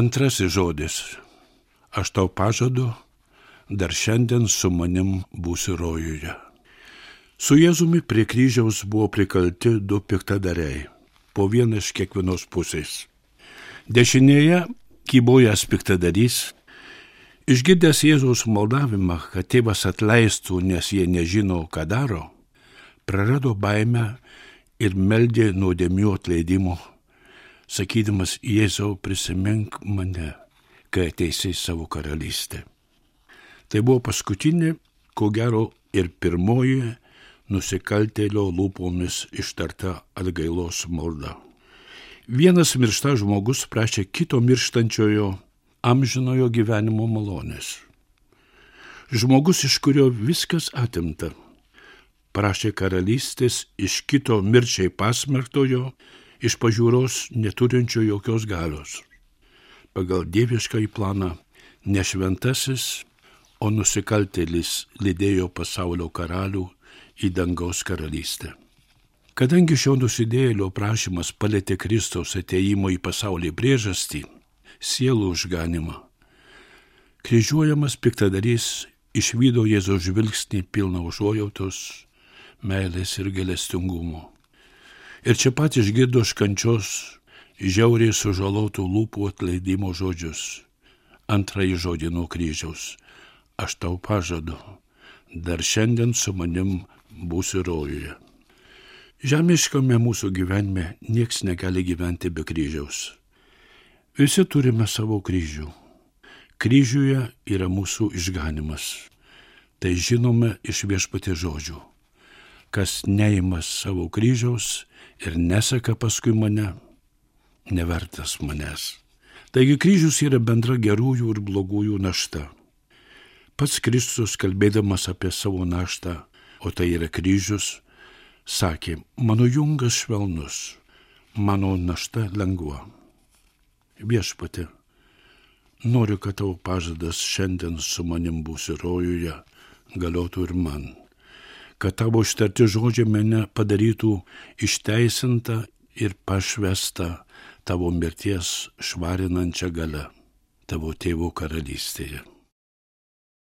Antrasis žodis. Aš tau pažadu, dar šiandien su manim būsi rojuje. Su Jėzumi prie kryžiaus buvo prikalti du piktadariai, po vieną iš kiekvienos pusės. Dešinėje kybojęs piktadarys, išgirdęs Jėzaus maldavimą, kad tėvas atleistų, nes jie nežino, ką daro, prarado baimę ir meldė nuodėmių atleidimo, sakydamas: Jėzau, prisimink mane, kai ateisi į savo karalystę. Tai buvo paskutinė, ko gero ir pirmoji nusikaltėlio lūpomis ištarta atgailos malda. Vienas miršta žmogus prašė kito mirštančiojo amžinojo gyvenimo malonės. Žmogus, iš kurio viskas atimta, prašė karalystės iš kito mirčiai pasmerktojo, iš pažiūros neturinčio jokios galios. Pagal dieviškąjį planą ne šventasis, o nusikaltėlis lydėjo pasaulio karalių į dangaus karalystę. Kadangi šio nusidėjėlio prašymas palietė Kristaus atėjimo į pasaulį priežastį, sielų išganimą, kryžiuojamas piktadarys išvydo Jėzaus žvilgsnį pilną užuojautos, meilės ir gailestingumo. Ir čia pat išgirdo iš kančios žiauriai sužalotų lūpų atleidimo žodžius. Antrąjį žodį nuo kryžiaus. Aš tau pažadu, dar šiandien su manim būsi rojuje. Žemiškame mūsų gyvenime nieks negali gyventi be kryžiaus. Visi turime savo kryžių. Kryžiuje yra mūsų išganimas. Tai žinome iš Viešpaties žodžių. Kas neima savo kryžiaus ir neseka paskui mane, nevertas manęs. Taigi kryžius yra bendra gerųjų ir blogųjų našta. Pats Kristus, kalbėdamas apie savo naštą, o tai yra kryžius, sakė: mano jungas švelnus, mano našta lengva. Viešpatie, noriu, kad tavo pažadas šiandien su manim būsi rojuje, galiotų ir man. Kad tavo ištarti žodžiai mane padarytų išteisintą ir pašvestą tavo mirties švarinančią galią tavo tėvo karalystėje.